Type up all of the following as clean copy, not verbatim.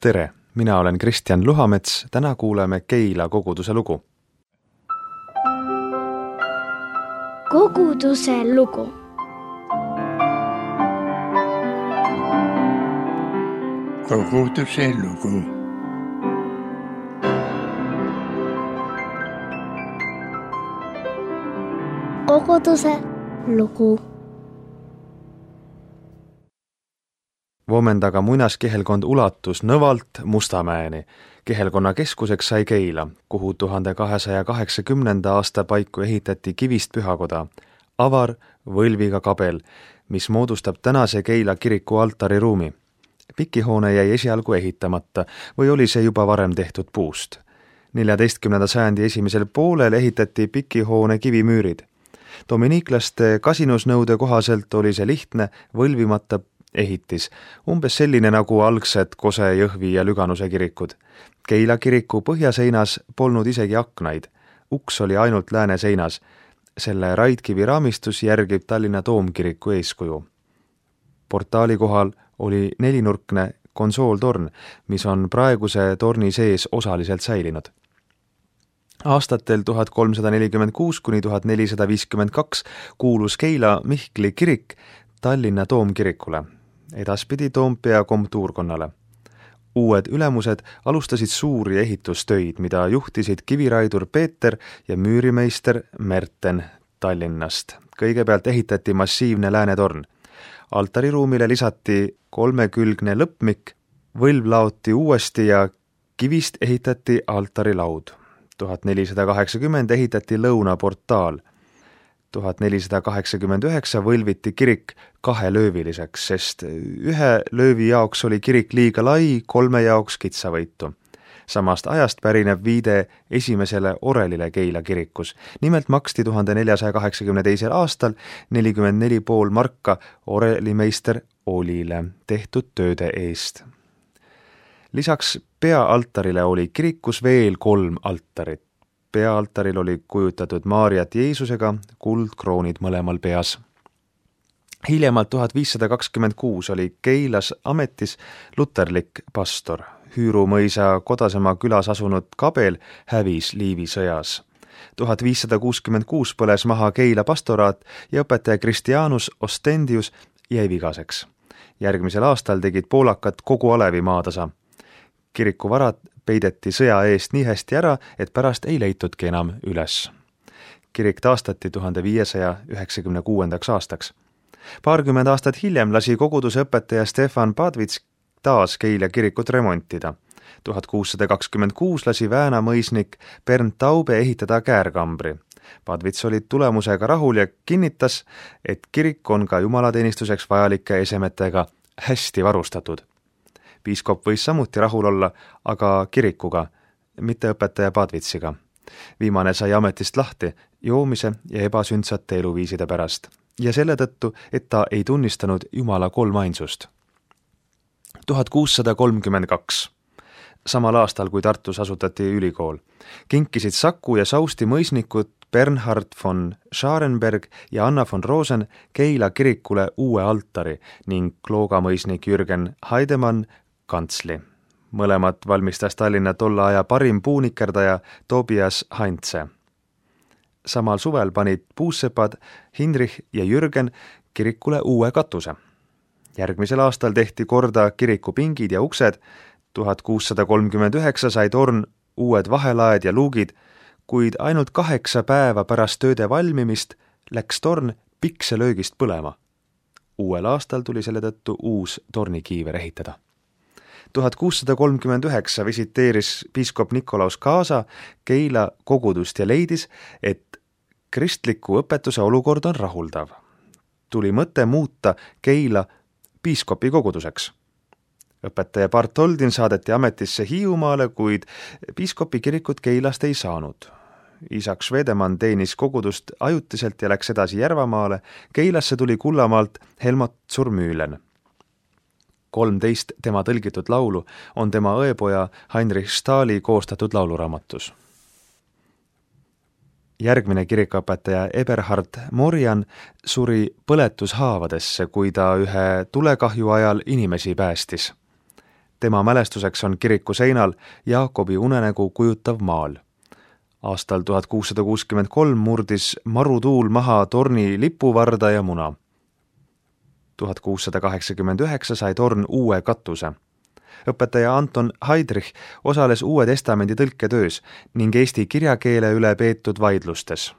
Tere, mina olen Kristjan Luhamets, täna kuuleme Keila koguduse lugu. Koguduse lugu. Koguduse lugu. Koguduse lugu. Vomendaga muinaskihelkond ulatus Nõvalt Mustamäeni. Kihelkonna keskuseks sai Keila, kuhu 1280. aasta paiku ehitati kivist pühakoda, avar võlviga kabel, mis moodustab tänase Keila kiriku altariruumi. Pikihoone jäi esialgu ehitamata või oli see juba varem tehtud puust. 14. sajandi esimesel poolel ehitati pikihoone kivimüürid. Dominiiklaste kasinusnõude kohaselt oli see lihtne, võlvimata ehitis, umbes selline nagu algsed Kose, Jõhvi ja Lüganuse kirikud. Keila kiriku põhjaseinas polnud isegi aknaid. Uks oli ainult lääne seinas. Selle raidkivi raamistus järgib Tallinna Toomkiriku eeskuju. Portaali kohal oli nelinurkne konsooltorn, mis on praeguse torni sees osaliselt säilinud. Aastatel 1346 kuni 1452 kuulus Keila Mihkli kirik Tallinna Toomkirikule, edaspidi Toompea komtuurkonnale. Uued ülemused alustasid suuri ehitustöid, mida juhtisid kiviraidur Peeter ja müürimeister Merten Tallinnast. Kõigepealt ehitati massiivne läänetorn. Altariruumile lisati 3-külgne lõppmik, võlv laoti uuesti ja kivist ehitati altarilaud. 1480 ehitati lõunaportaal. 1489 võlviti kirik 2-lööviliseks, sest 1 löövi jaoks oli kirik liiga lai, 3 jaoks kitsavõitu. Samast ajast pärineb viide esimesele orelile Keila kirikus. Nimelt maksti 1482. aastal 44,5 marka orelimeister Olile tehtud tööde eest. Lisaks peaaltarile oli kirikus veel 3 altarit. Peaaltaril oli kujutatud Maarjat Jeesusega, kuldkroonid mõlemal peas. Hiljemalt 1526 oli Keilas ametis luterlik pastor. Hüüru mõisa Kodasemaa külas asunud Kabel hävis Liivi sõjas. 1566 põles maha Keila pastoraat ja õpetaja Christianus Ostendius jäi vigaseks. Järgmisel aastal tegid poolakad kogu Alevi maatasa. Kiriku varad peideti sõja eest nii hästi ära, et pärast ei leitudki enam üles. Kirik taastati 1596. aastaks. Paarkümmend aastat hiljem lasi koguduse õpetaja Stefan Padvits taas Keila kirikut remontida. 1626 lasi Vääna mõisnik Bernd Taube ehitada käärkambri. Padvits oli tulemusega rahul ja kinnitas, et kirik on ka jumalateenistuseks vajalike esemetega hästi varustatud. Piiskop võis samuti rahul olla, aga kirikuga, mitte õpetaja Padvitsiga. Viimane sai ametist lahti joomise ja ebasündsate eluviiside pärast ja selle tõttu, et ta ei tunnistanud Jumala kolmainsust. 1632. Samal aastal, kui Tartus asutati ülikool, kinkisid Saku ja Sausti mõisnikud Bernhard von Scharenberg ja Anna von Rosen Keila kirikule uue altari ning Klooga mõisnik Jürgen Heidemann kantsli. Mõlemad valmistas Tallinna tolle aja parim puunikerdaja Tobias Heinze. Samal suvel panid puussepad Heinrich ja Jürgen kirikule uue katuse. Järgmisel aastal tehti korda kiriku pingid ja uksed, 1639 sai torn uued vahelaed ja luugid, kuid ainult 8 päeva pärast tööde valmimist läks torn pikselöögist põlema. Uuel aastal tuli selle tõttu uus tornikiiver ehitada. 1639 visiteeris piiskop Nikolaus Kaasa Keila kogudust ja leidis, et kristliku õpetuse olukord on rahuldav. Tuli mõte muuta Keila piiskopi koguduseks. Õpetaja Bartoldin saadeti ametisse Hiiumaale, kuid piiskopi kirikut Keilast ei saanud. Isak Švedemann teenis kogudust ajutiselt ja läks edasi Järvamaale. Keilasse tuli Kullamaalt Helmut Zurmühlen. 13 tema tõlgitud laulu on tema õepoja Heinrich Stahli koostatud lauluraamatus. Järgmine kirikuõpetaja Eberhard Morjan suri põletushaavadesse, kui ta ühe tulekahju ajal inimesi päästis. Tema mälestuseks on kiriku seinal Jaakobi unenägu kujutav maal. Aastal 1663 murdis marutuul maha torni lipuvarda ja muna. 1689 sai torn uue katuse. Õpetaja Anton Heidrich osales Uue Testamendi tõlketöös ning eesti kirjakeele üle peetud vaidlustes.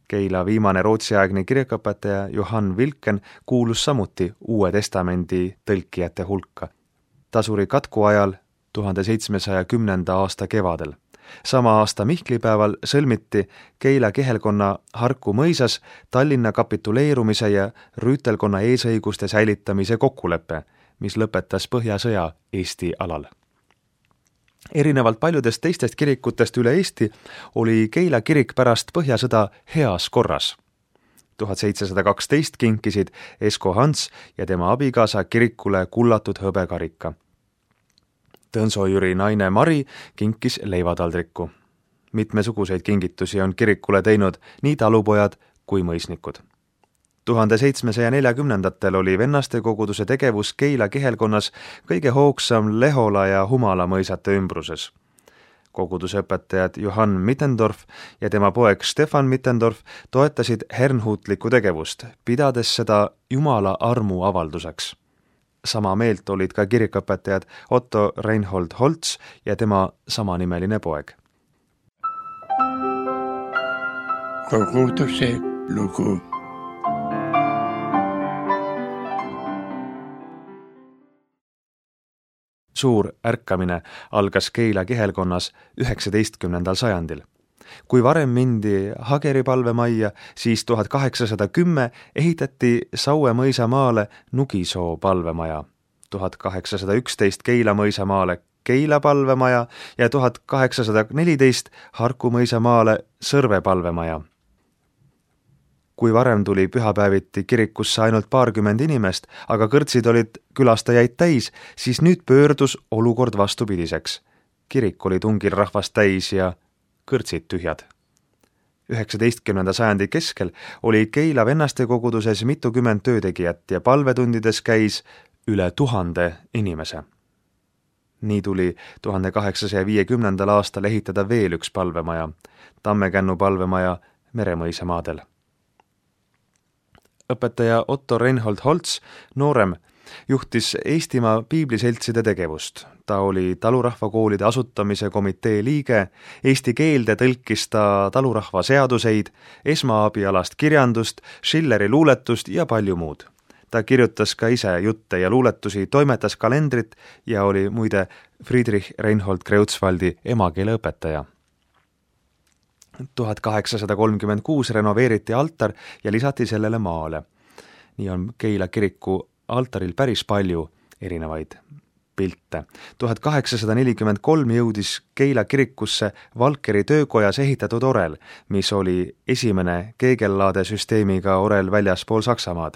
Keila viimane rootsiaegne kirjaõpetaja Johan Wilken kuulus samuti Uue Testamendi tõlkijate hulka. Ta suri katku ajal 1710. aasta kevadel. Sama aasta Mihklipäeval sõlmiti Keila kihelkonna Harku mõisas Tallinna kapituleerumise ja rüütelkonna eesõiguste säilitamise kokkulepe, mis lõpetas Põhjasõja Eesti alal. Erinevalt paljudest teistest kirikutest üle Eesti oli Keila kirik pärast Põhjasõda heas korras. 1712 kinkisid Esko Hans ja tema abikaasa kirikule kullatud hõbekarika. Tõnso-Jüri naine Mari kinkis leivataldriku. Mitmesuguseid kingitusi on kirikule teinud nii talupojad kui mõisnikud. 1740. oli vennaste koguduse tegevus Keila kihelkonnas kõige hoogsam Lehola ja Humala mõisate ümbruses. Koguduse õpetajad Johann Mittendorf ja tema poeg Stefan Mittendorf toetasid hernhuutlikku tegevust, pidades seda Jumala armu avalduseks. Sama meelt olid ka kirikõpetajad Otto Reinhold Holtz ja tema samanimeline poeg. Koguduse lugu. Suur ärkamine algas Keila kihelkonnas 19. sajandil. Kui varem mindi Hageri palvemajja, siis 1810 ehitati Saue mõisamaale Nugisoo palvemaja, 1811 Keila mõisamaale Keila palvemaja ja 1814 Harku mõisamaale Sõrve palvemaja. Kui varem tuli pühapäeviti kirikusse ainult 20 inimest, aga kõrtsid olid külastajaid täis, siis nüüd pöördus olukord vastupidiseks. Kirik oli tungil rahvast täis ja kõrtsid tühjad. 19. sajandi keskel oli Keila vennaste koguduses mitukümmend töötegijat ja palvetundides käis üle 1000 inimese. Nii tuli 1850. aastal ehitada veel üks palvemaja, Tammekännu palvemaja Meremõisamaadel. Õpetaja Otto Reinhold Holtz, noorem, juhtis Eestimaa piibliseltside tegevust. Ta oli talurahvakoolide asutamise komitee liige, eesti keelde tõlkis ta talurahva seaduseid, esmaabialast kirjandust, Schilleri luuletust ja palju muud. Ta kirjutas ka ise jutte ja luuletusi, toimetas kalendrit ja oli muide Friedrich Reinhold Kreutzwaldi emakeele õpetaja. 1836 renoveeriti altar ja lisati sellele maale. Nii on Keila kiriku altaril päris palju erinevaid pilte. 1843 jõudis Keila kirikusse Valkeri töökojas ehitatud orel, mis oli esimene keegellaade süsteemiga orel väljaspool Saksamaad.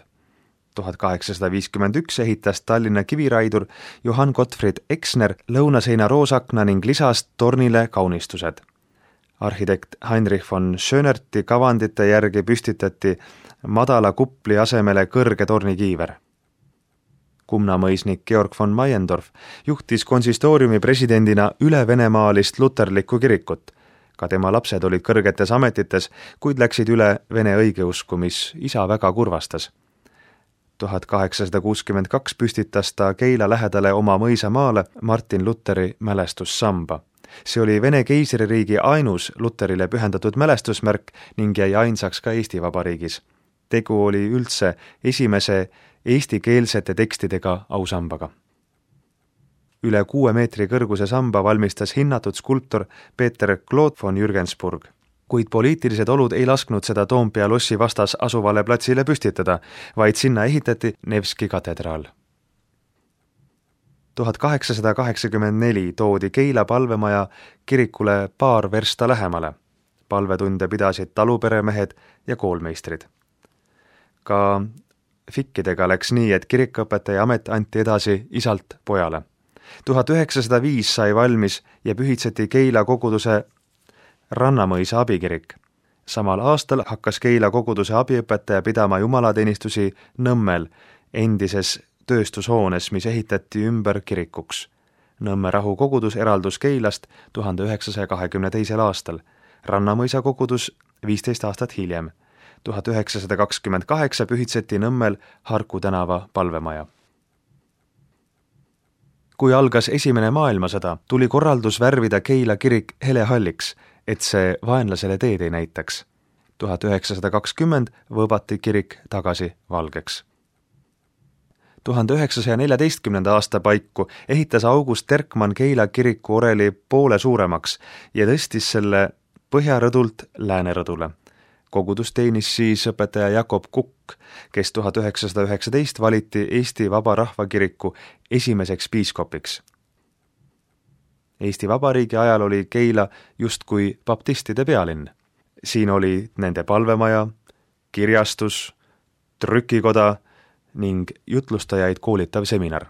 1851 ehitas Tallinna kiviraidur Johann Gottfried Exner lõunaseina roosakna ning lisas tornile kaunistused. Arhitekt Heinrich von Schönerti kavandite järgi püstitati madala kupli asemele kõrge tornikiiver. Kumnamõisnik Georg von Meiendorf juhtis konsistooriumi presidendina üle-venemaalist luterlikku kirikut. Ka tema lapsed olid kõrgetes ametites, kuid läksid üle vene õigeusku, mis isa väga kurvastas. 1862 püstitas ta Keila lähedale oma mõisamaale Martin Lutheri mälestussamba. See oli Vene keisririigi ainus Lutherile pühendatud mälestusmärk ning jäi ainsaks ka Eesti Vabariigis. Tegu oli üldse esimese eestikeelsete tekstidega ausambaga. Üle 6 meetri kõrguse samba valmistas hinnatud skulptor Peter Claude von Jürgensburg, kuid poliitilised olud ei lasknud seda Toompea lossi vastas asuvale platsile püstitada, vaid sinna ehitati Nevski katedraal. 1884 toodi Keila palvemaja kirikule paar versta lähemale. Palvetunde pidasid taluperemehed ja koolmeistrid. Ka fikkidega läks nii, et kirikõpetaja amet anti edasi isalt pojale. 1905 sai valmis ja pühitseti Keila koguduse Rannamõisa abikirik. Samal aastal hakkas Keila koguduse abiõpetaja pidama jumalateenistusi Nõmmel, endises tööstushoones, mis ehitati ümber kirikuks. Nõmme Rahu kogudus eraldus Keilast 1922. aastal, Rannamõisa kogudus 15 aastat hiljem. 1928 pühitseti Nõmmel Harku tänava palvemaja. Kui algas Esimene maailmasõda, tuli korraldus värvida Keila kirik helehalliks, et see vaenlasele teed ei näitaks. 1920 võõbati kirik tagasi valgeks. 1914. aasta paiku ehitas August Terkmann Keila kiriku oreli poole suuremaks ja tõstis selle põhjarõdult läänerõdule. Kogudus teenis siis õpetaja Jakob Kukk, kes 1919 valiti Eesti Vaba Rahvakiriku esimeseks piiskopiks. Eesti Vabariigi ajal oli Keila justkui baptistide pealinn. Siin oli nende palvemaja, kirjastus, trükikoda ning jutlustajaid koolitav seminar.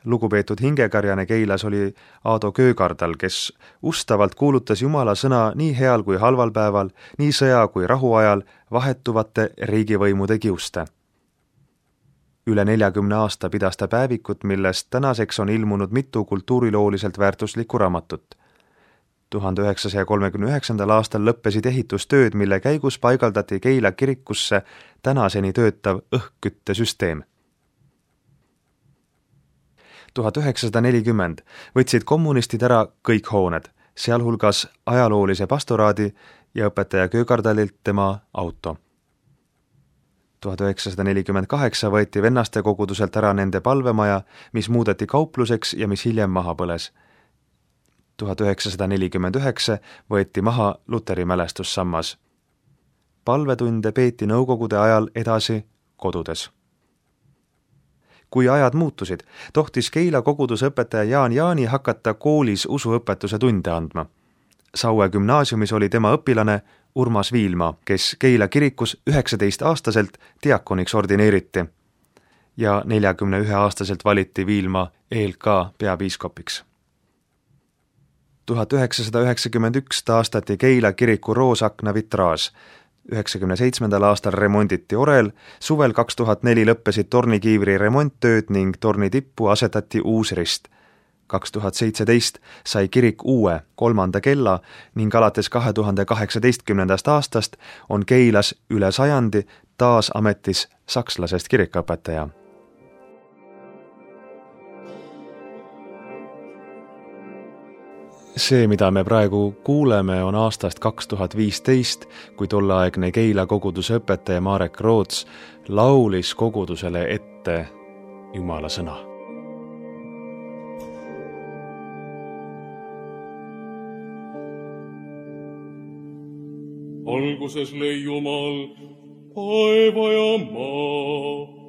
Lugupeetud hingekarjane Keilas oli Aado Köögardal, kes ustavalt kuulutas Jumala sõna nii heal kui halval päeval, nii sõja kui rahu ajal vahetuvate riigivõimude kiuste. Üle 40 aasta pidas ta päevikut, millest tänaseks on ilmunud mitu kultuurilooliselt väärtuslikku raamatut. 1939. aastal lõppesid ehitustööd, mille käigus paigaldati Keila kirikusse tänaseni töötav õhkküttesüsteem. 1940 võtsid kommunistid ära kõik hooned, sealhulgas ajaloolise pastoraadi ja õpetaja Köögardalilt tema auto. 1948 võeti vennaste koguduselt ära nende palvemaja, mis muudeti kaupluseks ja mis hiljem maha põles. 1949 võeti maha Luteri mälestussammas. Palvetunde peeti nõukogude ajal edasi kodudes. Kui ajad muutusid, tohtis Keila koguduse õpetaja Jaan Jaani hakata koolis usuõpetuse tunde andma. Saue gümnaasiumis oli tema õpilane Urmas Viilma, kes Keila kirikus 19-aastaselt diakoniks ordineeriti ja 41-aastaselt valiti Viilma ELK peapiiskopiks. 1991 taastati Keila kiriku roosakna vitraaž. 1997. aastal remonditi orel, suvel 2004 lõppesid tornikiivri remonttööd ning torni tippu asetati uus rist. 2017 sai kirik uue 3. kella ning alates 2018. aastast on Keilas üle 100 taas ametis sakslasest kirikuõpetaja. See, mida me praegu kuuleme, on aastast 2015, kui tolleaegne Keila koguduse õpetaja Marek Roots laulis kogudusele ette Jumala sõna. Alguses lõi Jumal taeva ja maa.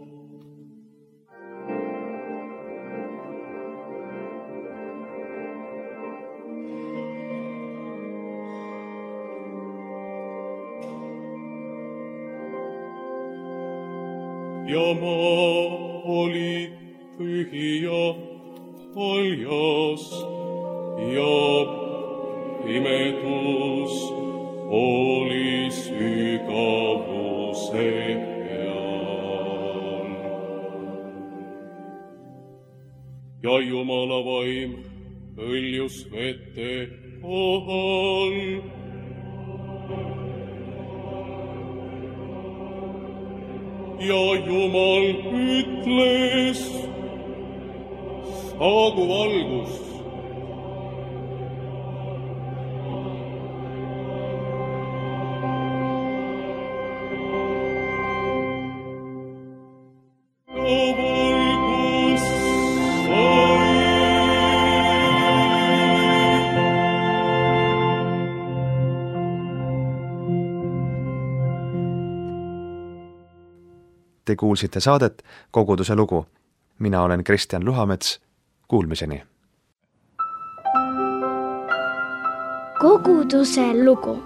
Ja maa oli pühi ja haljas ja pimedus oli sügavuse peal. Ja Jumala vaim hõljus vete kohal. Ja Jumal ütles, saagu valgus. Ja valgus sai. Te kuulsite saadet Koguduse lugu. Mina olen Kristjan Luhamets. Kuulmiseni. Koguduse lugu.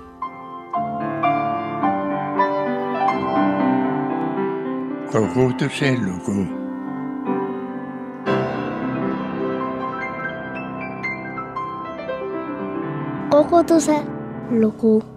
Koguduse lugu. Koguduse lugu.